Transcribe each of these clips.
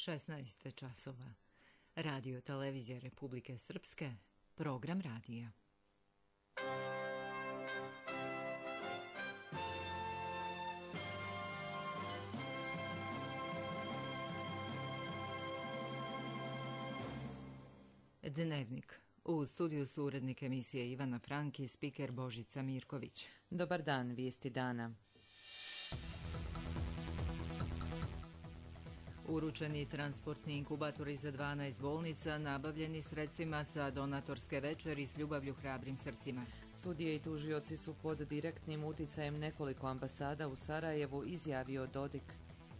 16 časova. Radio Televizija Republike Srpske, program radija. Dnevnik. U studiju su urednik emisije Ivana Frank i spiker Božica Mirković. Dobar dan, vijesti dana. Uručeni transportni inkubatori za 12 bolnica nabavljeni sredstvima sa donatorske večeri s ljubavlju hrabrim srcima. Sudije i tužioci su pod direktnim uticajem nekoliko ambasada u Sarajevu, izjavio Dodik.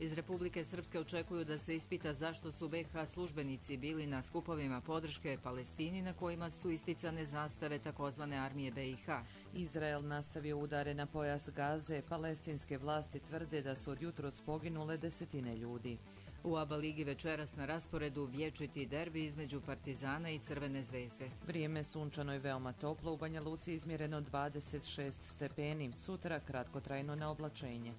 Iz Republike Srpske očekuju da se ispita zašto su BiH službenici bili na skupovima podrške Palestini na kojima su isticane zastave takozvane armije BiH. Izrael nastavio udare na pojas Gaze, palestinske vlasti tvrde da su od jutros poginule desetine ljudi. U ABA ligi večeras na rasporedu vječiti derbi između Partizana i Crvene zvezde. Vrijeme sunčano i veoma toplo, u Banja Luci izmjereno 26 stepeni, sutra kratkotrajno neoblačenje.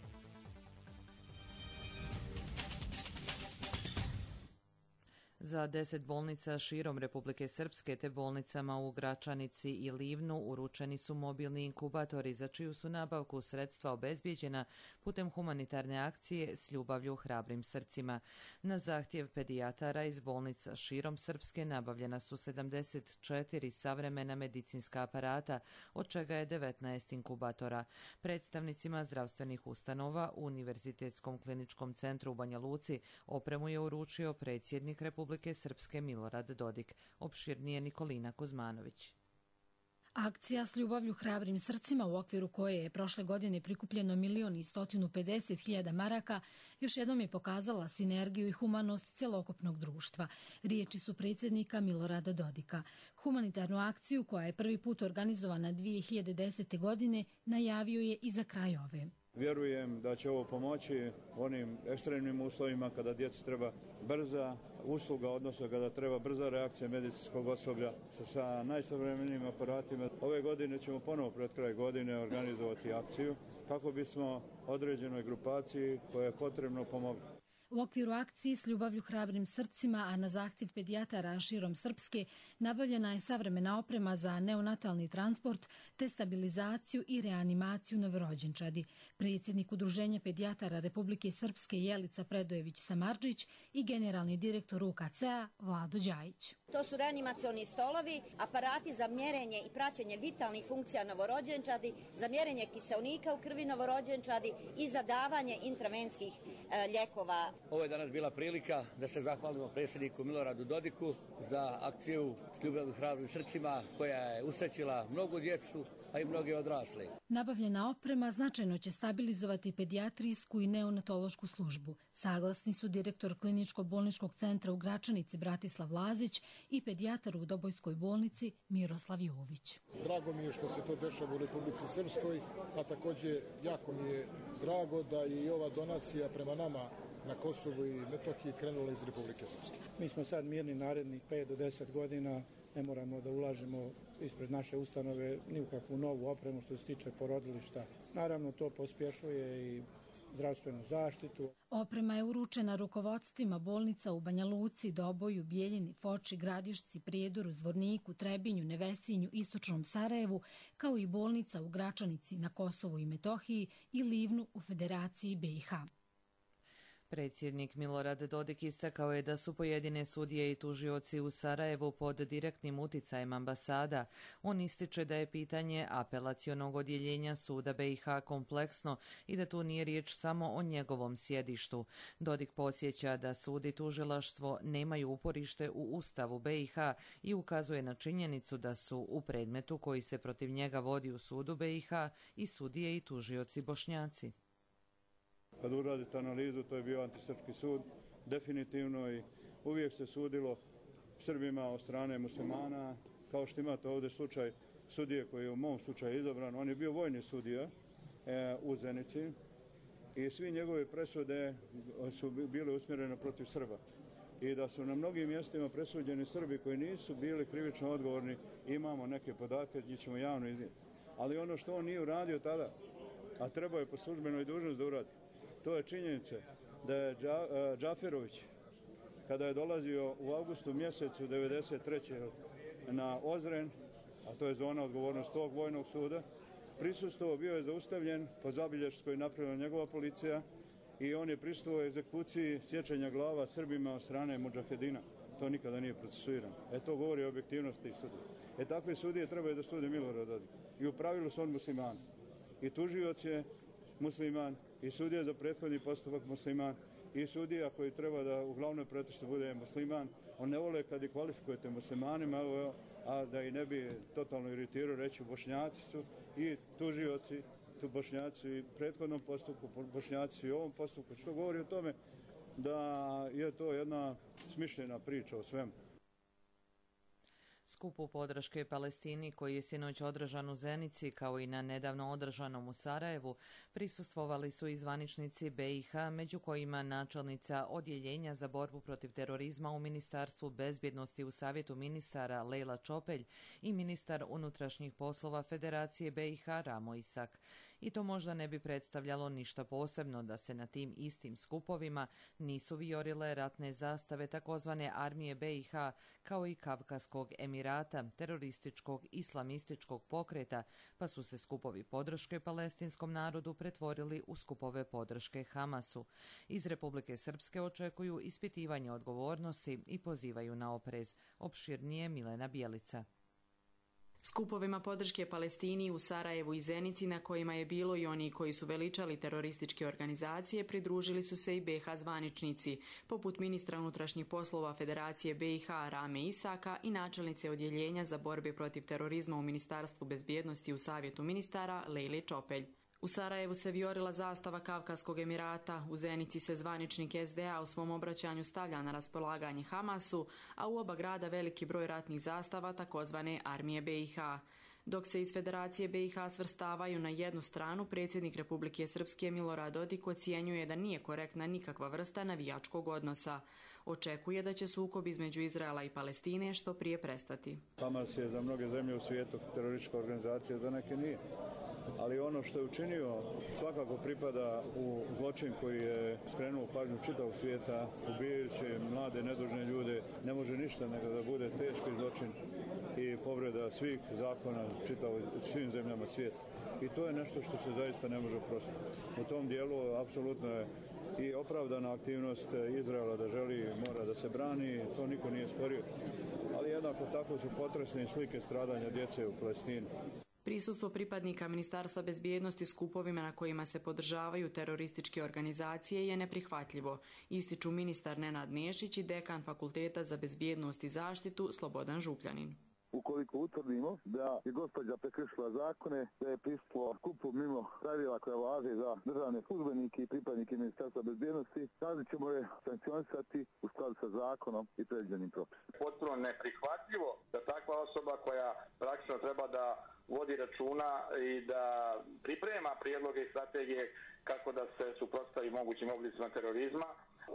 Za 10 bolnica širom Republike Srpske te bolnicama u Gračanici i Livnu uručeni su mobilni inkubatori za čiju su nabavku sredstva obezbijeđena putem humanitarne akcije s ljubavlju hrabrim srcima. Na zahtjev pedijatara iz bolnica širom Srpske nabavljena su 74 savremena medicinska aparata, od čega je 19 inkubatora. Predstavnicima zdravstvenih ustanova u Univerzitetskom kliničkom centru u Banja Luci opremu je uručio predsjednik Republike Srpske Milorad Dodik. Opširnije Nikolina Kuzmanović. Akcija s ljubavlju hrabrim srcima, u okviru koje je prošle godine prikupljeno 1.150.000 maraka, još jednom je pokazala sinergiju i humanost celokupnog društva. Riječi su predsjednika Milorada Dodika. Humanitarnu akciju, koja je prvi put organizovana 2010. godine, najavio je i za kraj ove. Vjerujem da će ovo pomoći onim ekstremnim uslovima kada djeci treba brza usluga, odnosno kada treba brza reakcija medicinskog osoblja sa najsavremenijim aparatima. Ove godine ćemo ponovo pred kraj godine organizovati akciju kako bismo određenoj grupaciji koja je potrebno pomogli. U okviru akcije s ljubavlju hrabrim srcima, a na zahtjev pedijatara širom Srpske, nabavljena je savremena oprema za neonatalni transport te stabilizaciju i reanimaciju novorođenčadi. Predsjednik Udruženja pedijatara Republike Srpske Jelica Predojević-Samardžić i generalni direktor UKC-a Vlado Đajić. To su reanimacioni stolovi, aparati za mjerenje i praćenje vitalnih funkcija novorođenčadi, za mjerenje kiseonika u krvi novorođenčadi i za davanje intravenskih lijekova. Ovo je danas bila prilika da se zahvalimo predsjedniku Miloradu Dodiku za akciju s ljubavlju hrabrim srcima koja je usrećila mnogu djecu, a i mnoge odrasle. Nabavljena oprema značajno će stabilizovati pedijatrijsku i neonatološku službu. Saglasni su direktor kliničko-bolničkog centra u Gračanici Bratislav Lazić i pedijatar u Dobojskoj bolnici Miroslav Jović. Drago mi je što se to dešava u Republici Srpskoj, a također jako mi je drago da je i ova donacija prema nama na Kosovu i Metohiji krenula iz Republike Srpske. Mi smo sad mirni narednih 5 do 10 godina, ne moramo da ulažemo ispred naše ustanove ni u kakvu novu opremu što se tiče porodilišta. Naravno, to pospješuje i zdravstvenu zaštitu. Oprema je uručena rukovodstvima bolnica u Banja Luci, Doboju, Bijeljini, Foči, Gradišci, Prijedoru, Zvorniku, Trebinju, Nevesinju, Istočnom Sarajevu, kao i bolnica u Gračanici na Kosovu i Metohiji i Livnu u Federaciji BiH. Predsjednik Milorad Dodik istakao je da su pojedine sudije i tužioci u Sarajevu pod direktnim uticajem ambasada. On ističe da je pitanje apelacionog odjeljenja suda BiH kompleksno i da tu nije riječ samo o njegovom sjedištu. Dodik podsjeća da sud i tužilaštvo nemaju uporište u Ustavu BiH i ukazuje na činjenicu da su u predmetu koji se protiv njega vodi u sudu BiH i sudije i tužioci Bošnjaci. Kad uradite analizu, to je bio antisrpski sud, definitivno, i uvijek se sudilo Srbima od strane muslimana, kao što imate ovdje slučaj sudije koji je u mom slučaju izabran. On je bio vojni sudija u Zenici i svi njegove presude su bile usmjerene protiv Srba. I da su na mnogim mjestima presuđeni Srbi koji nisu bili krivično odgovorni, imamo neke podatke, njih ćemo javno iznijeti. Ali ono što on nije uradio tada, a trebao je po službenoj dužnosti da uradi, to je činjenica da je Džaferović kada je dolazio u avgustu mjesecu 1993. na Ozren, a to je zona odgovornost tog vojnog suda, prisustvovao, bio je zaustavljen po zabilješci koju je napravila njegova policija i on je prisustvovao egzekuciji sjećanja glava Srbima od strane mudžahedina. To nikada nije procesuirano. To govori o objektivnosti tih sudija. Takve sudije trebaju da sude Milorad Dodik. I u pravilu su on musliman. I tužioc je musliman, i sudija za prethodni postupak musliman, i sudija koji treba da u glavnoj pretištu bude musliman. On ne vole kad ih kvalifikujete muslimanima, a da i ne bi totalno iritirao, reći Bošnjaci su i tužioci, tu Bošnjaci i prethodnom postupku, Bošnjaci i ovom postupku, što govori o tome da je to jedna smišljena priča o svemu. Skupu podrške Palestini koji je sinoć održan u Zenici kao i na nedavno održanom u Sarajevu prisustvovali su i zvaničnici BiH, među kojima načelnica Odjeljenja za borbu protiv terorizma u Ministarstvu bezbjednosti u Savjetu ministara Lejla Čopelj i ministar unutrašnjih poslova Federacije BiH Ramo Isak. I to možda ne bi predstavljalo ništa posebno da se na tim istim skupovima nisu vijorile ratne zastave takozvane armije BiH kao i Kavkaskog Emirata, terorističkog islamističkog pokreta, pa su se skupovi podrške palestinskom narodu pretvorili u skupove podrške Hamasu. Iz Republike Srpske očekuju ispitivanje odgovornosti i pozivaju na oprez. Opširnije Milena Bjelica. Skupovima podrške Palestini u Sarajevu i Zenici, na kojima je bilo i oni koji su veličali terorističke organizacije, pridružili su se i BiH zvaničnici, poput ministra unutrašnjih poslova Federacije BiH Rame Isaka i načelnice Odjeljenja za borbe protiv terorizma u Ministarstvu bezbjednosti u Savjetu ministara Lejle Čopelj. U Sarajevu se vijorila zastava Kavkaskog Emirata, u Zenici se zvaničnik SDA u svom obraćanju stavlja na raspolaganje Hamasu, a u oba grada veliki broj ratnih zastava takozvane armije BiH. Dok se iz Federacije BiH svrstavaju na jednu stranu, predsjednik Republike Srpske Milorad Dodik ocjenjuje da nije korektna nikakva vrsta navijačkog odnosa. Očekuje da će sukob između Izraela i Palestine što prije prestati. Hamas je za mnoge zemlje u svijetu teroristička organizacija, za neke nije. Ali ono što je učinio svakako pripada u zločin koji je skrenuo pažnju čitavog svijeta, ubijajući mlade, nedužne ljude. Ne može ništa nego da bude teški zločin i povreda svih zakona svim zemljama svijeta. I to je nešto što se zaista ne može oprostiti. U tom dijelu apsolutno je i opravdana aktivnost Izraela da želi, mora da se brani, to niko nije sporio. Ali jednako tako su potresne slike stradanja djece u Palestini. Prisustvo pripadnika Ministarstva bezbjednosti skupovima na kojima se podržavaju terorističke organizacije je neprihvatljivo, ističu ministar Nenad Nešić i dekan Fakulteta za bezbjednost i zaštitu Slobodan Župljanin. Ukoliko utvrdimo da je gospođa prekršila zakone, da je prisustvovao skupu mimo pravila koja važe za državne službenike i pripadnike Ministarstva bezbjednosti, tada ćemo je sankcionisati u skladu sa zakonom i predviđenim propisima. Potpuno neprihvatljivo da takva osoba koja praktično treba da vodi računa i da priprema prijedloge i strategije kako da se suprotstavi mogućim oblicima terorizma,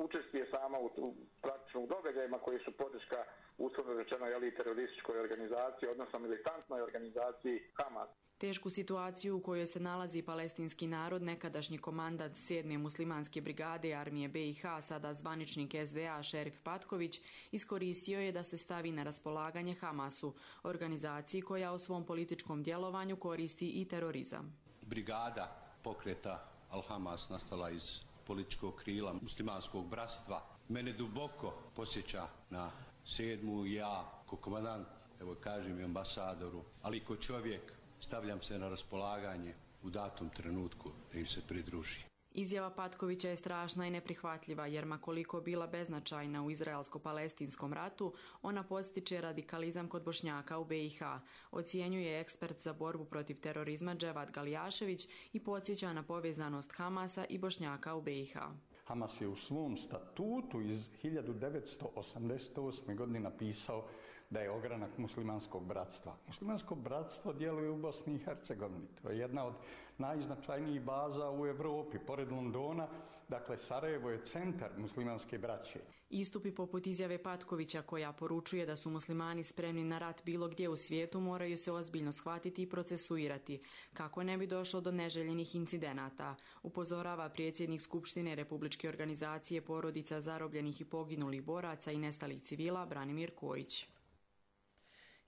učestvuje sama u praktičnim događajima koji su podrška uslovno rečeno terorističkoj organizaciji, odnosno militantnoj organizaciji Hamas. Tešku situaciju u kojoj se nalazi palestinski narod, nekadašnji komandant 7. muslimanske brigade armije BiH, sada zvaničnik SDA Šerif Patković, iskoristio je da se stavi na raspolaganje Hamasu, organizaciji koja u svom političkom djelovanju koristi i terorizam. Brigada pokreta Al-Hamas nastala iz političkog krila muslimanskog bratstva. Mene duboko posjeća na 7. ja, ko komandant, evo kažem i ambasadoru, ali ko čovjek stavljam se na raspolaganje u datom trenutku da im se pridruži. Izjava Patkovića je strašna i neprihvatljiva, jer makoliko bila beznačajna u izraelsko-palestinskom ratu, ona podstiče radikalizam kod Bošnjaka u BiH, ocjenjuje ekspert za borbu protiv terorizma Dževad Galijašević i podsjeća na povezanost Hamasa i Bošnjaka u BiH. Hamas je u svom statutu iz 1988. godine napisao da je ogranak muslimanskog bratstva. Muslimansko bratstvo djeluje u Bosni i Hercegovini. To je jedna od najznačajnijih baza u Europi, pored Londona. Dakle, Sarajevo je centar muslimanske braće. Istupi poput izjave Patkovića koja poručuje da su muslimani spremni na rat bilo gdje u svijetu moraju se ozbiljno shvatiti i procesuirati, kako ne bi došlo do neželjenih incidenata, upozorava predsjednik Skupštine Republičke organizacije porodica zarobljenih i poginulih boraca i nestalih civila Branimir Kojić.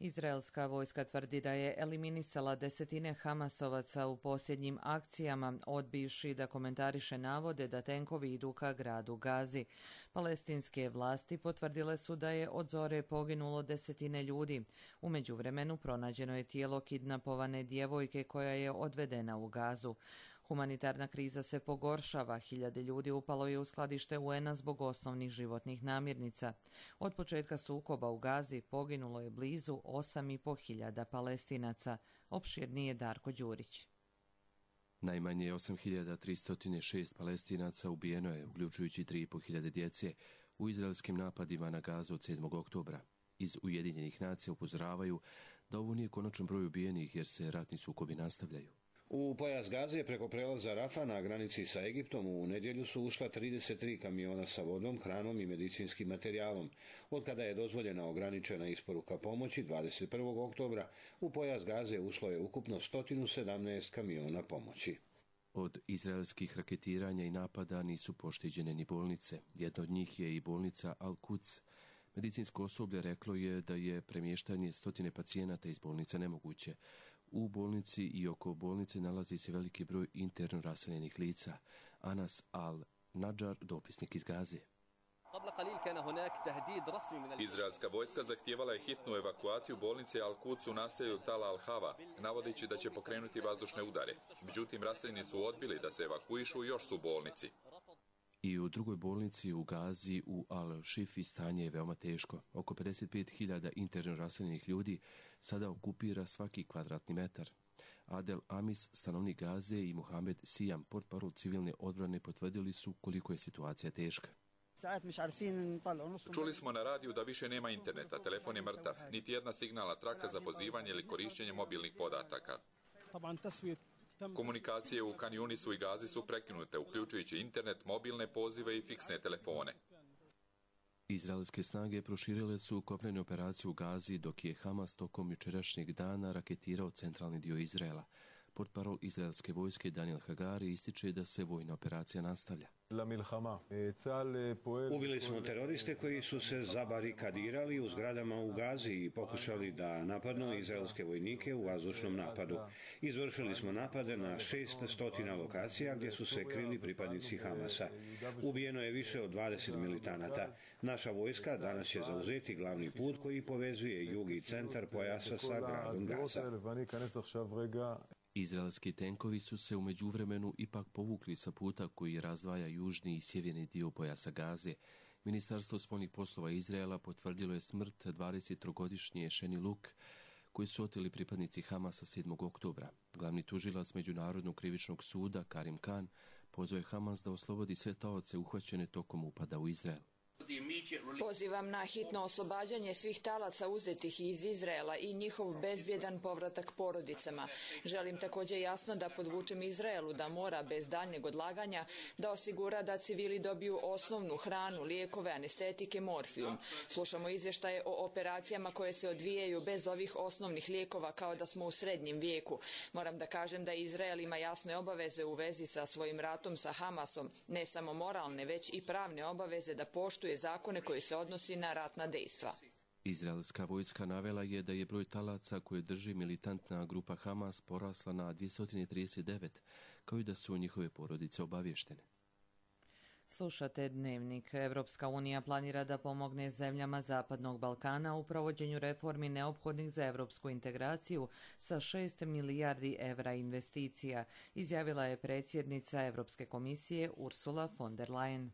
Izraelska vojska tvrdi da je eliminisala desetine Hamasovaca u posljednjim akcijama, odbivši da komentariše navode da tenkovi idu ka gradu Gazi. Palestinske vlasti potvrdile su da je od zore poginulo desetine ljudi. U međuvremenu pronađeno je tijelo kidnapovane djevojke koja je odvedena u Gazu. Humanitarna kriza se pogoršava, hiljade ljudi upalo je u skladište UN-a zbog osnovnih životnih namirnica. Od početka sukoba u Gazi poginulo je blizu 8.500 Palestinaca. Opširnije Darko Đurić. Najmanje 8.306 Palestinaca ubijeno je, uključujući 3.500 djece, u izraelskim napadima na Gazu od 7. oktobra. Iz Ujedinjenih nacija upozoravaju da ovo nije konačan broj ubijenih jer se ratni sukobi nastavljaju. U pojas Gaze preko prelaza Rafa na granici sa Egiptom u nedjelju su ušla 33 kamiona sa vodom, hranom i medicinskim materijalom. Od kada je dozvoljena ograničena isporuka pomoći 21. oktobra, u pojas Gaze ušlo je ukupno 117 kamiona pomoći. Od izraelskih raketiranja i napada nisu pošteđene ni bolnice. Jedna od njih je i bolnica Al-Quds. Medicinsko osoblje reklo je da je premještanje stotine pacijenata iz bolnice nemoguće. U bolnici i oko bolnice nalazi se veliki broj interno raseljenih lica. Anas Al-Nadjar, dopisnik iz Gaze. Izraelska vojska zahtijevala je hitnu evakuaciju bolnice Al-Quds u naselju Tal Al-Hava, navodeći da će pokrenuti vazdušne udare. Međutim, raseljeni su odbili da se evakuišu i još su u bolnici. I u drugoj bolnici u Gazi u Al-Šifi stanje je veoma teško. Oko 55.000 interno raseljenih ljudi sada okupira svaki kvadratni metar. Adel Amis, stanovnik Gaze, i Mohamed Sijam, portparol civilne odbrane, potvrdili su koliko je situacija teška. Čuli smo na radiju da više nema interneta, telefon je mrtav, niti jedna signalna traka za pozivanje ili korištenje mobilnih podataka. Komunikacije u Kan Yunisu i Gazi su prekinute, uključujući internet, mobilne pozive i fiksne telefone. Izraelske snage proširile su kopnene operacije u Gazi, dok je Hamas tokom jučerašnjeg dana raketirao centralni dio Izraela. Portparol izraelske vojske Daniel Hagari ističe da se vojna operacija nastavlja. Ubili smo teroriste koji su se zabarikadirali u zgradama u Gazi i pokušali da napadnu izraelske vojnike u vazdušnom napadu. Izvršili smo napade na 600 lokacija gdje su se krili pripadnici Hamasa. Ubijeno je više od 20 militanata. Naša vojska danas će zauzeti glavni put koji povezuje jug i centar pojasa sa gradom Gaza. Izraelski tenkovi su se u međuvremenu ipak povukli sa puta koji razdvaja južni i sjeverni dio pojasa Gaze. Ministarstvo spoljnih poslova Izraela potvrdilo je smrt 23-godišnje Sheni Luk, koji su oteli pripadnici Hamasa 7. oktobra. Glavni tužilac Međunarodnog krivičnog suda Karim Khan pozvao je Hamas da oslobodi sve taoce uhvaćene tokom upada u Izrael. Pozivam na hitno oslobađanje svih talaca uzetih iz Izraela i njihov bezbjedan povratak porodicama. Želim također jasno da podvučem Izraelu da mora bez daljnjeg odlaganja da osigura da civili dobiju osnovnu hranu, lijekove, anestetike, morfijum. Slušamo izvještaje o operacijama koje se odvijaju bez ovih osnovnih lijekova kao da smo u srednjem vijeku. Moram da kažem da Izrael ima jasne obaveze u vezi sa svojim ratom sa Hamasom, ne samo moralne, već i pravne obaveze da poštuje zakone koji se odnosi na ratna dejstva. Izraelska vojska navela je da je broj talaca koje drži militantna grupa Hamas porasla na 239, kao i da su njihove porodice obavještene. Slušate Dnevnik. Evropska unija planira da pomogne zemljama Zapadnog Balkana u provođenju reformi neophodnih za evropsku integraciju sa 6 milijardi evra investicija, izjavila je predsjednica Evropske komisije Ursula von der Leyen.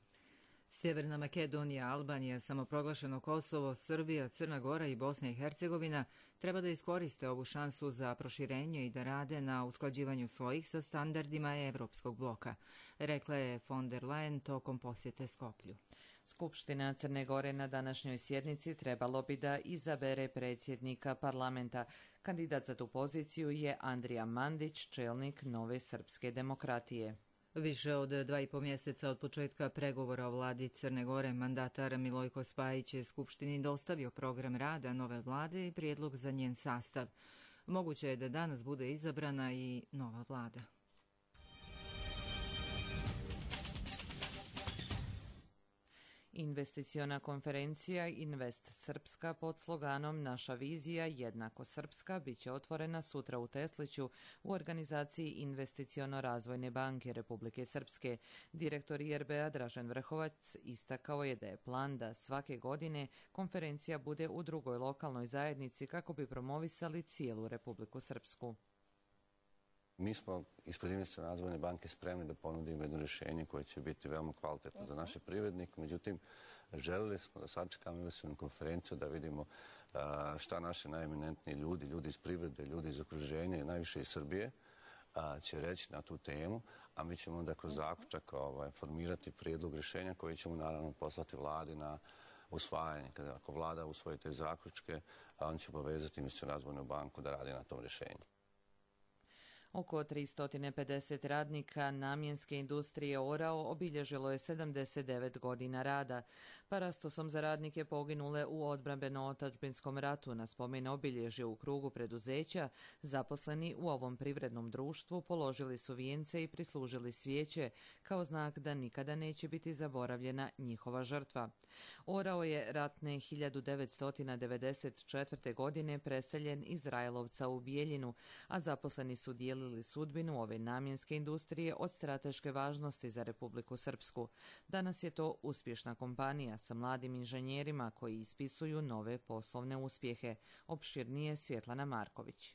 Sjeverna Makedonija, Albanija, samoproglašeno Kosovo, Srbija, Crna Gora i Bosna i Hercegovina treba da iskoriste ovu šansu za proširenje i da rade na usklađivanju svojih sa standardima Evropskog bloka, rekla je von der Leyen tokom posjete Skoplju. Skupština Crne Gore na današnjoj sjednici trebalo bi da izabere predsjednika parlamenta. Kandidat za tu poziciju je Andrija Mandić, čelnik Nove srpske demokratije. Više od 2,5 mjeseca od početka pregovora o vladi Crne Gore, mandatar Milojko Spajić je Skupštini dostavio program rada nove vlade i prijedlog za njen sastav. Moguće je da danas bude izabrana i nova vlada. Investiciona konferencija Invest Srpska pod sloganom Naša vizija jednako srpska bit će otvorena sutra u Tesliću u organizaciji Investiciono-razvojne banke Republike Srpske. Direktor IRB-a Dražen Vrhovac istakao je da je plan da svake godine konferencija bude u drugoj lokalnoj zajednici kako bi promovisali cijelu Republiku Srpsku. Mi smo ispred Investiciono razvojne banke spremni da ponudimo jedno rješenje koje će biti veoma kvalitetno za naše privrednike. Međutim, želeli smo da sačekamo investicionu konferenciju, da vidimo šta naši najeminentniji ljudi iz privrede, ljudi iz okruženja i najviše iz Srbije će reći na tu temu, a mi ćemo onda kroz zaključak formirati prijedlog rješenja koji ćemo naravno poslati vladi na usvajanje. Ako vlada usvoji te zaključke, on će povezati Investiciono razvojnu banku da radi na tom rješenju. Oko 350 radnika namjenske industrije Orao obilježilo je 79 godina rada. Parastosom za radnike poginule u odbrambeno-otadžbinskom ratu na spomen obilježje u krugu preduzeća, zaposleni u ovom privrednom društvu položili su vijence i prislužili svijeće kao znak da nikada neće biti zaboravljena njihova žrtva. Orao je ratne 1994. godine preseljen iz Rajlovca u Bijeljinu, a zaposleni su dijelili sudbinu ove namjenske industrije od strateške važnosti za Republiku Srpsku. Danas je to uspješna kompanija sa mladim inženjerima koji ispisuju nove poslovne uspjehe. Opširnije Svjetlana Marković.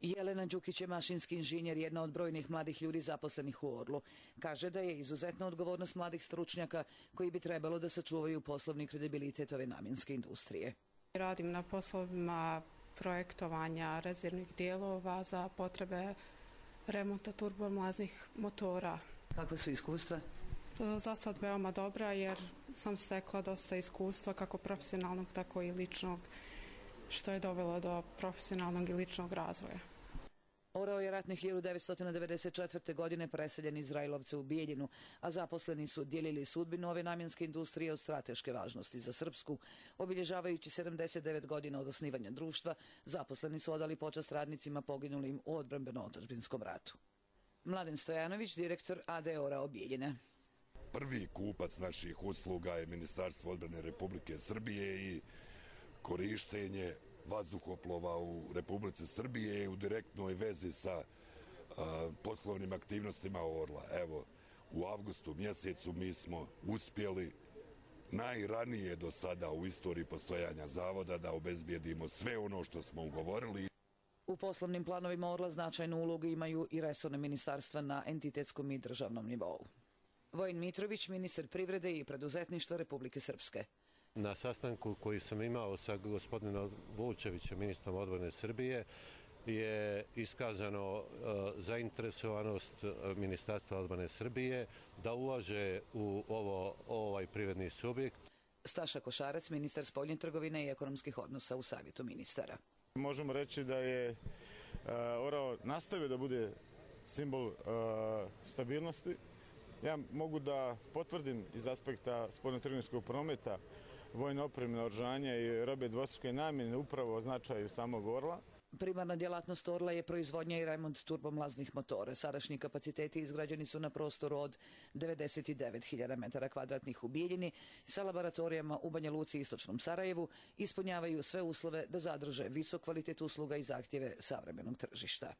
Jelena Đukić je mašinski inženjer, jedna od brojnih mladih ljudi zaposlenih u Orlu. Kaže da je izuzetna odgovornost mladih stručnjaka koji bi trebalo da sačuvaju poslovni kredibilitet ove namjenske industrije. Radim na poslovima projektovanja rezervnih dijelova za potrebe remonta turbomlaznih motora. Kakva su iskustva? Za sad veoma dobra jer sam stekla dosta iskustva kako profesionalnog tako i ličnog, što je dovelo do profesionalnog i ličnog razvoja. Orao je ratne 1994. godine preseljen iz Rajlovca u Bijeljinu, a zaposleni su dijelili sudbinu ove namjenske industrije od strateške važnosti za Srpsku. Obilježavajući 79 godina od osnivanja društva, zaposleni su odali počast radnicima poginulim u odbrambeno-otadžbinskom ratu. Mladen Stojanović, direktor AD Orao Bijeljine. Prvi kupac naših usluga je Ministarstvo odbrane Republike Srbije i korištenje vazduhoplova u Republici Srbije u direktnoj vezi sa poslovnim aktivnostima Orla. Evo, u avgustu mjesecu mi smo uspjeli najranije do sada u istoriji postojanja zavoda da obezbijedimo sve ono što smo ugovorili. U poslovnim planovima Orla značajnu ulogu imaju i resorne ministarstva na entitetskom i državnom nivou. Vojin Mitrović, ministar privrede i preduzetništva Republike Srpske. Na sastanku koji sam imao sa gospodinom Vučevićem, ministrom odbrane Srbije, je iskazano zainteresovanost Ministarstva odbrane Srbije da ulaže u ovaj privredni subjekt. Staša Košarac, ministar spoljne trgovine i ekonomskih odnosa u Savjetu ministara. Možemo reći da je Orao nastavio da bude simbol stabilnosti. Ja mogu da potvrdim iz aspekta spoljnotrgovinskog prometa, vojne opreme, naoružanja i robe dvostruke namjene upravo o značaju samog Orla. Primarna djelatnost Orla je proizvodnja i remont turbomlaznih motora. Sadašnji kapaciteti izgrađeni su na prostoru od 99.000 metara kvadratnih u Bijeljini sa laboratorijama u Banja Luci i istočnom Sarajevu, ispunjavaju sve uslove da zadrže visok kvalitet usluga i zahtjeve savremenog tržišta.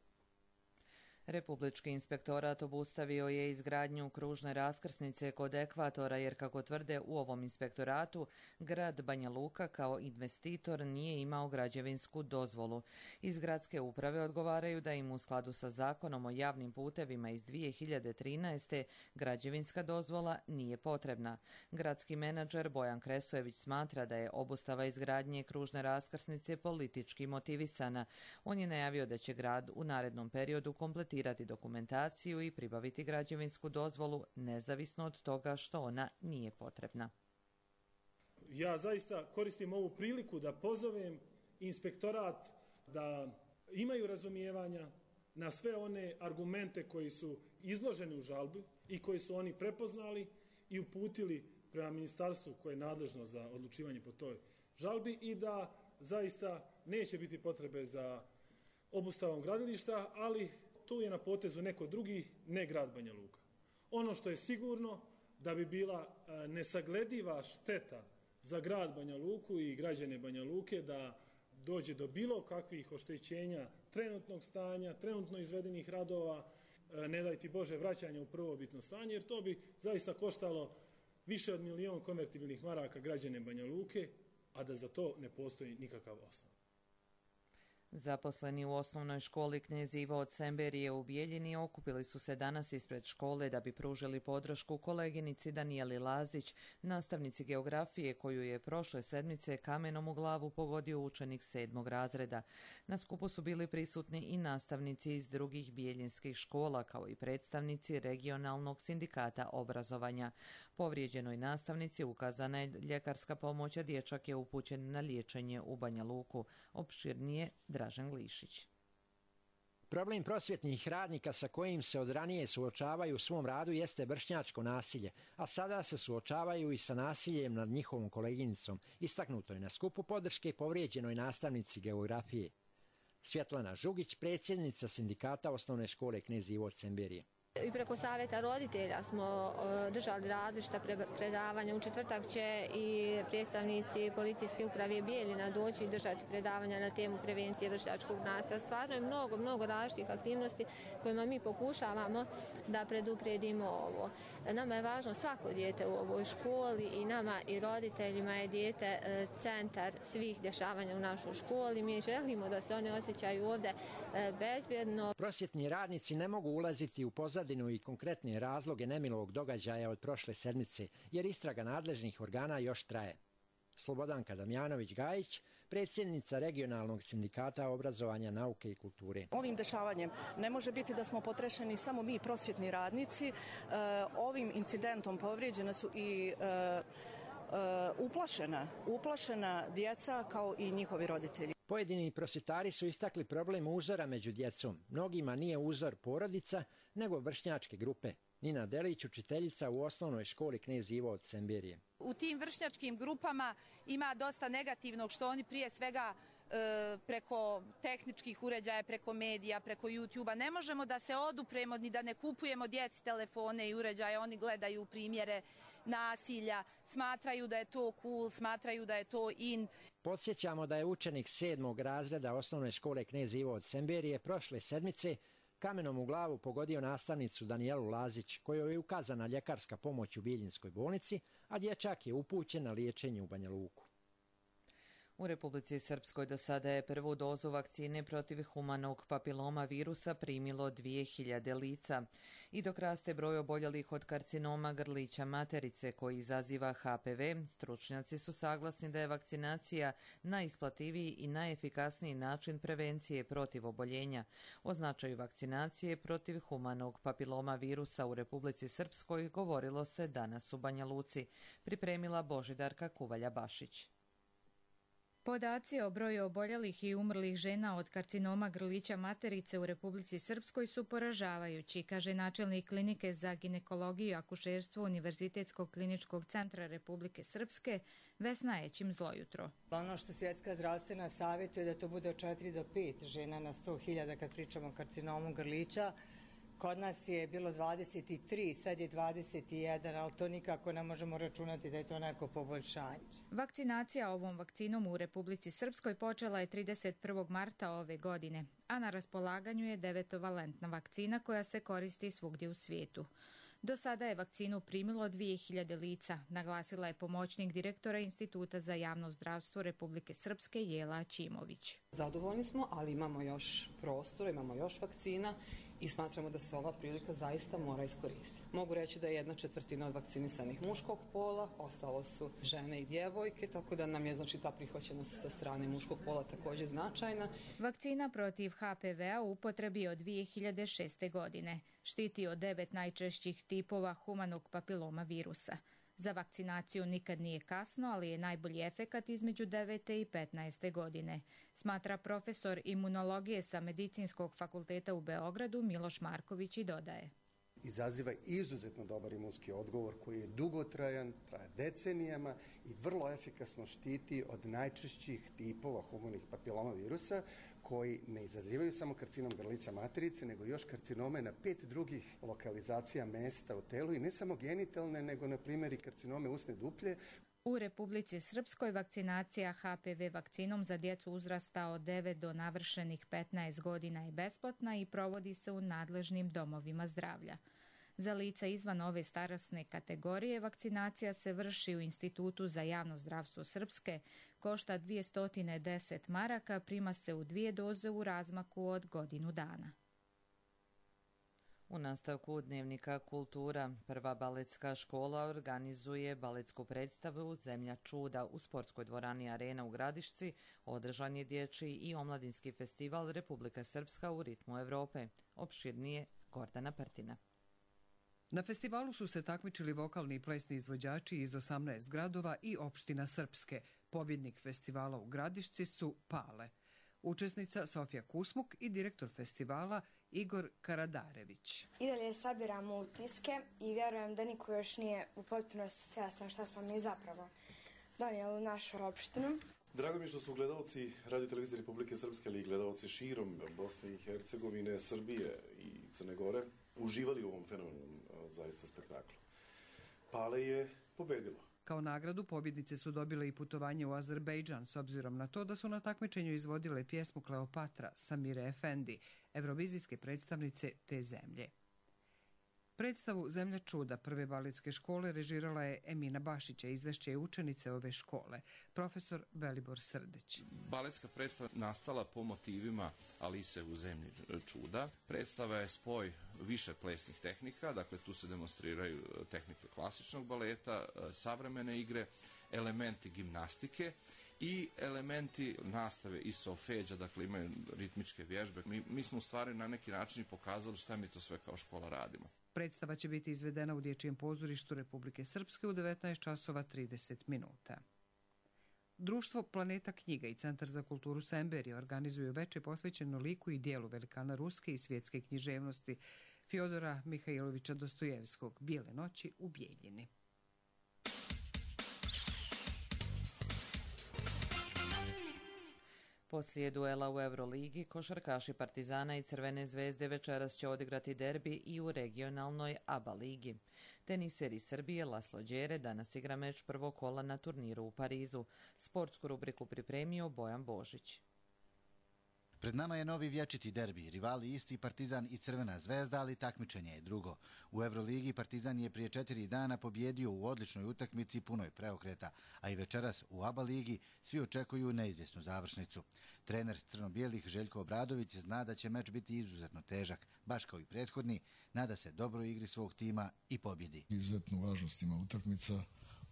Republički inspektorat obustavio je izgradnju kružne raskrsnice kod ekvatora jer, kako tvrde u ovom inspektoratu, grad Banja Luka kao investitor nije imao građevinsku dozvolu. Iz gradske uprave odgovaraju da im u skladu sa zakonom o javnim putevima iz 2013. građevinska dozvola nije potrebna. Gradski menadžer Bojan Kresojević smatra da je obustava izgradnje kružne raskrsnice politički motivisana. On je najavio da će grad u narednom periodu kompletirati dokumentaciju i pribaviti građevinsku dozvolu nezavisno od toga što ona nije potrebna. Ja zaista koristim ovu priliku da pozovem inspektorat da imaju razumijevanja na sve one argumente koji su izloženi u žalbi i koji su oni prepoznali i uputili prema ministarstvu koje je nadležno za odlučivanje po toj žalbi i da zaista neće biti potrebe za obustavom gradilišta, ali tu je na potezu neko drugi, ne grad Banja Luka. Ono što je sigurno da bi bila nesaglediva šteta za grad Banja Luku i građane Banja Luke da dođe do bilo kakvih oštećenja trenutnog stanja, trenutno izvedenih radova, ne daj ti Bože vraćanja u prvobitno stanje, jer to bi zaista koštalo više od 1 milion konvertibilnih maraka građane Banja Luke, a da za to ne postoji nikakav osnov. Zaposleni u osnovnoj školi Knez Ivo od Semberije u Bijeljini okupili su se danas ispred škole da bi pružili podršku koleginici Danijeli Lazić, nastavnici geografije koju je prošle sedmice kamenom u glavu pogodio učenik 7. razreda. Na skupu su bili prisutni i nastavnici iz drugih bijeljinskih škola, kao i predstavnici regionalnog sindikata obrazovanja. Povrijeđenoj nastavnici ukazana je ljekarska pomoć, a dječak je upućen na liječenje u Banja Luku. Opširnije Dražen Glišić. Problem prosvjetnih radnika sa kojim se od ranije suočavaju u svom radu jeste vršnjačko nasilje, a sada se suočavaju i sa nasiljem nad njihovom koleginicom, istaknuto je na skupu podrške povrijeđenoj nastavnici geografije. Svjetlana Žugić, predsjednica sindikata osnovne škole Knez Ivo od Semberije. I preko savjeta roditelja smo držali različita predavanja. U četvrtak će i predstavnici policijske uprave Bijeljina doći i držati predavanja na temu prevencije vršnjačkog nasilja. Stvarno je mnogo različitih aktivnosti kojima mi pokušavamo da predupredimo ovo. Nama je važno svako dijete u ovoj školi i nama i roditeljima je dijete centar svih dešavanja u našoj školi. Mi želimo da se oni osjećaju ovdje bezbjedno. Prosvjetni radnici ne mogu ulaziti u pozadinu i konkretne razloge nemilog događaja od prošle sedmice, jer istraga nadležnih organa još traje. Slobodanka Damjanović-Gajić, predsjednica regionalnog sindikata obrazovanja, nauke i kulture. Ovim dešavanjem ne može biti da smo potrešeni samo mi, prosvjetni radnici. Ovim incidentom povrijeđena su i uplašena djeca kao i njihovi roditelji. Pojedini prosvjetari su istakli problem uzora među djecom. Mnogima nije uzor porodica, nego vršnjačke grupe. Nina Delić, učiteljica u osnovnoj školi Knez Ivo od Semberije. U tim vršnjačkim grupama ima dosta negativnog, što oni prije svega preko tehničkih uređaja, preko medija, preko YouTube-a. Ne možemo da se odupremo ni da ne kupujemo djeci telefone i uređaje. Oni gledaju primjere nasilja, smatraju da je to cool, smatraju da je to in. Podsjećamo da je učenik 7. razreda osnovne škole Knez Ivo od Semberije prošle sedmice kamenom u glavu pogodio nastavnicu Danijelu Lazić, kojoj je ukazana ljekarska pomoć u Bijeljinskoj bolnici, a dječak je upućen na liječenje u Banja Luku. U Republici Srpskoj do sada je prvu dozu vakcine protiv humanog papiloma virusa primilo 2000 lica. I dok raste broj oboljelih od karcinoma grlića materice koji izaziva HPV, stručnjaci su saglasni da je vakcinacija najisplativiji i najefikasniji način prevencije protiv oboljenja. O značaju vakcinacije protiv humanog papiloma virusa u Republici Srpskoj govorilo se danas u Banja Luci, pripremila Božidarka Kuvalja-Bašić. Podaci o broju oboljelih i umrlih žena od karcinoma grlića materice u Republici Srpskoj su poražavajući, kaže načelnik klinike za ginekologiju i akušerstvo Univerzitetskog kliničkog centra Republike Srpske Vesna Ećim Zlojutro. Ono što Svjetska zdravstvena savjetuje da to bude od 4 do 5 žena na 100.000 kad pričamo o karcinomu grlića, Kod nas je bilo 23, sad je 21, ali to nikako ne možemo računati da je to neko poboljšanje. Vakcinacija ovom vakcinom u Republici Srpskoj počela je 31. marta ove godine, a na raspolaganju je 9-valentna vakcina koja se koristi svugdje u svijetu. Do sada je vakcinu primilo 2000 lica, naglasila je pomoćnik direktora Instituta za javno zdravstvo Republike Srpske Jela Ćimović. Zadovoljni smo, ali imamo još prostora, imamo još vakcina i smatramo da se ova prilika zaista mora iskoristiti. Mogu reći da je 1/4 od vakcinisanih muškog pola, ostalo su žene i djevojke, tako da nam je ta prihvaćenost sa strane muškog pola također značajna. Vakcina protiv HPV-a u upotrebi od 2006. godine. Štiti od 9 najčešćih tipova humanog papiloma virusa. Za vakcinaciju nikad nije kasno, ali je najbolji efekat između 9. i 15. godine, smatra profesor imunologije sa Medicinskog fakulteta u Beogradu Miloš Marković i dodaje. Izaziva izuzetno dobar imunski odgovor koji je dugotrajan, traje decenijama i vrlo efikasno štiti od najčešćih tipova humanih papiloma virusa koji ne izazivaju samo karcinom grlića materice, nego još karcinome na 5 drugih lokalizacija mesta u telu i ne samo genitalne, nego na primjer i karcinome usne duplje. U Republici Srpskoj vakcinacija HPV vakcinom za djecu uzrasta od 9 do navršenih 15 godina je besplatna i provodi se u nadležnim domovima zdravlja. Za lica izvan ove starosne kategorije vakcinacija se vrši u Institutu za javno zdravstvo Srpske, košta 210 maraka, prima se u 2 doze u razmaku od godinu dana. U nastavku Dnevnika kultura, prva baletska škola organizuje baletsku predstavu Zemlja čuda u sportskoj dvorani Arena u Gradišci. Održan je dječji i omladinski festival Republika Srpska u ritmu Evrope. Opširnije Gordana Prtina. Na festivalu su se takmičili vokalni i plesni izvođači iz 18 gradova i opština Srpske. Pobjednik festivala u Gradišci su Pale. Učesnica Sofija Kusmuk i direktor festivala Igor Karadarević. I dalje sabiramo utiske i vjerujem da niko još nije u potpunosti svjestan šta smo mi zapravo donijeli u našu opštinu. Drago mi je što su gledalci Radio Televizije Republike Srpske, ali i gledalci širom Bosne i Hercegovine, Srbije i Crne Gore uživali u ovom fenomenom zaista spektaklu. Pale je pobedilo. Kao nagradu pobjednice su dobile i putovanje u Azerbejdžan s obzirom na to da su na takmičenju izvodile pjesmu Kleopatra Samire Efendi, evrovizijske predstavnice te zemlje. Predstavu Zemlja čuda prve baletske škole režirala je Emina Bašić, a izvešće je učenice ove škole, profesor Velibor Srdeć. Baletska predstava nastala po motivima Alise u Zemlji čuda. Predstava je spoj više plesnih tehnika, dakle tu se demonstriraju tehnike klasičnog baleta, savremene igre, elementi gimnastike i elementi nastave i solfeđa, dakle imaju ritmičke vježbe. Mi smo u stvari na neki način pokazali šta mi to sve kao škola radimo. Predstava će biti izvedena u Dječjem pozorištu Republike Srpske u 19:30. Društvo Planeta knjiga i Centar za kulturu Semberije organizuju veče posvećeno liku i dijelu velikana ruske i svjetske književnosti Fjodora Mihajlovića Dostojevskog, Bijele noći u Bijeljini. Poslije duela u Euroligi, košarkaši Partizana i Crvene zvezde večeras će odigrati derbi i u regionalnoj ABA ligi. Teniser iz Srbije Laslo Đere danas igra meč prvog kola na turniru u Parizu. Sportsku rubriku pripremio Bojan Božić. Pred nama je novi vječiti derbi, rivali isti Partizan i Crvena zvezda, ali takmičenje je drugo. U Euroligi Partizan je prije 4 dana pobjedio u odličnoj utakmici punoj preokreta, a i večeras u ABA ligi svi očekuju neizvjesnu završnicu. Trener crno-bijelih Željko Obradović zna da će meč biti izuzetno težak, baš kao i prethodni, nada se dobroj igri svog tima i pobjedi. Izuzetnu važnost ima utakmica.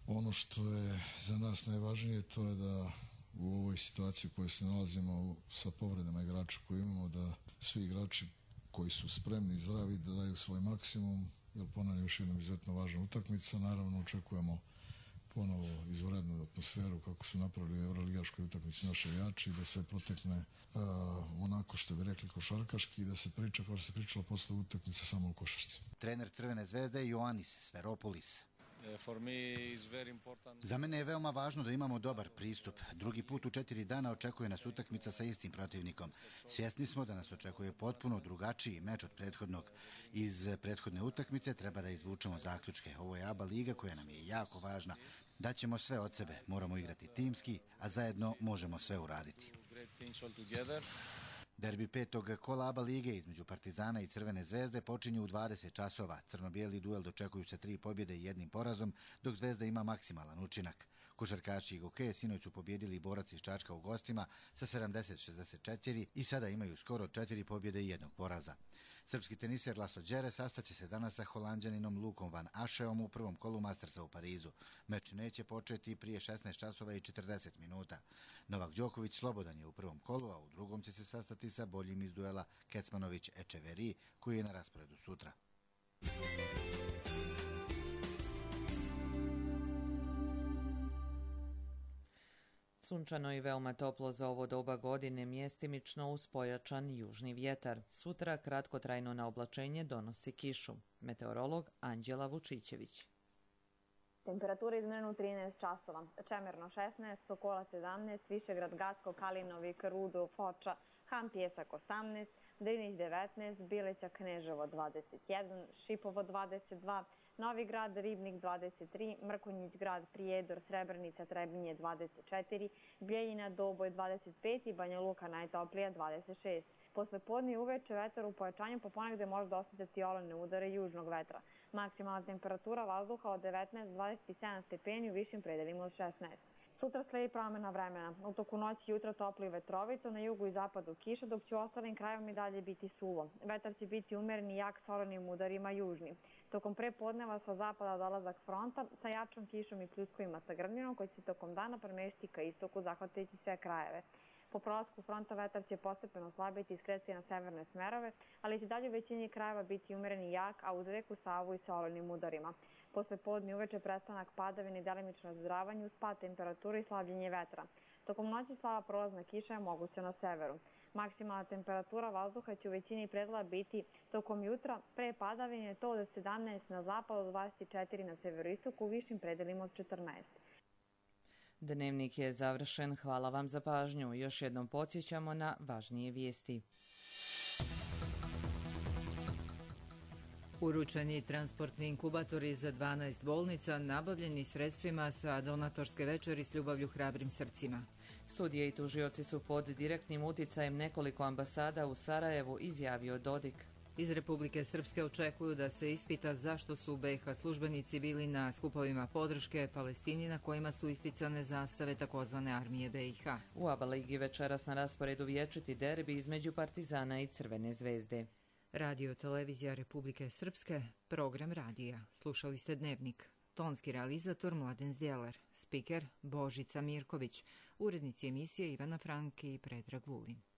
Ono što je za nas najvažnije to je da u ovoj situaciji u kojoj se nalazimo sa povredama igrača koje imamo, da svi igrači koji su spremni i zdravi da daju svoj maksimum, jer ponavljam još jedna izuzetno važna utakmica. Naravno očekujemo ponovo izvanrednu atmosferu kako su napravili u euroligaškoj utakmici naši igrači, da sve protekne onako što bi rekli košarkaški i da se priča kao što se pričalo posle utakmice samo u košarci. Trener Crvene zvezde je Ioannis Sferopolis. Za mene je veoma važno da imamo dobar pristup. Drugi put u 4 dana očekuje nas utakmica sa istim protivnikom. Svjesni smo da nas očekuje potpuno drugačiji meč od prethodnog. Iz prethodne utakmice treba da izvučemo zaključke. Ovo je ABA liga koja nam je jako važna. Daćemo sve od sebe, moramo igrati timski, a zajedno možemo sve uraditi. Derbi 5. kola ABA lige između Partizana i Crvene zvezde počinje u 20 časova. Crno-bijeli duel dočekuju se 3 pobjede i 1 porazom, dok Zvezda ima maksimalan učinak. Košarkaši Gokeje sinoć su pobjedili Borac iz Čačka u gostima sa 70-64 i sada imaju skoro 4 pobjede i 1 poraza. Srpski teniser Laslo Đere sastaće se danas sa Holanđaninom Lukom van Ašeom u prvom kolu Mastersa u Parizu. Meč neće početi prije 16 časova i 40 minuta. Novak Đoković slobodan je u prvom kolu, a u drugom će se sastati sa boljim iz duela Kecmanović-Ečeveri, koji je na rasporedu sutra. Sunčano i veoma toplo za ovo doba godine, mjestimično uz pojačan južni vjetar. Sutra kratkotrajno naoblačenje donosi kišu. Meteorolog Anđela Vučićević. Temperatura izmjerena u 13 časova. Čemerno 16, Sokola 17, Višegrad, Gacko, Kalinovik, Rudo, Foča, Han Pjesak 18, Drinić 19, Bileća, Kneževo 21, Šipovo 22, Novi Grad, Ribnik 23, Mrkonjić grad, Prijedor, Srebrenica, Trebinje 24, Bijeljina, Doboj 25 i Banja Luka najtoplija 26. Posle podne i uveče vetar u pojačanju po ponegde može osjetiti olujne udare južnog vetra. Maksimalna temperatura vazduha od 19-27 stepeni u višim predelima od 16. Sutra sledi promjena vremena. U toku noći i jutra toplo i vetrovito, na jugu i zapadu kiša, dok će u ostalim krajevima i dalje biti suvo. Vetar će biti umeren i jak sa olujnim udarima južni. Tokom prepodneva sa zapada dolazak fronta sa jačom kišom i pljuskovima sa grmljinom koji će se tokom dana premestiti ka istoku, zahvatajući sve krajeve. Po prolasku fronta vetar će postepeno slabiti i skretati na severne smerove, ali će dalje u većini krajeva biti umeren i jak, a uz reku Savu i sa olujnim udarima. Posle podne uveče prestanak padavine i delimično razdravanje uz pad temperature i slabljenje vetra. Tokom noći slaba prolazna kiša je moguća na severu. Maksimalna temperatura vazduha će u većini predela biti tokom jutra pre padavine to od 17 na zapadu, od 24 na severoistoku, u višim predelima od 14. Dnevnik je završen. Hvala vam za pažnju. Još jednom podsjećamo na važnije vijesti. Uručeni transportni inkubatori za 12 bolnica nabavljeni sredstvima sa donatorske večeri s ljubavlju hrabrim srcima. Sudije i tužioci su pod direktnim uticajem nekoliko ambasada u Sarajevu, izjavio Dodik. Iz Republike Srpske očekuju da se ispita zašto su BiH službenici bili na skupovima podrške Palestini na kojima su isticane zastave takozvane armije BiH. U ABA ligi večeras na rasporedu vječiti derbi između Partizana i Crvene zvezde. Radio Televizija Republike Srpske, program radija. Slušali ste Dnevnik. Tonski realizator Mladen Zdjelar, spiker Božica Mirković, urednici emisije Ivana Frank i Predrag Vulin.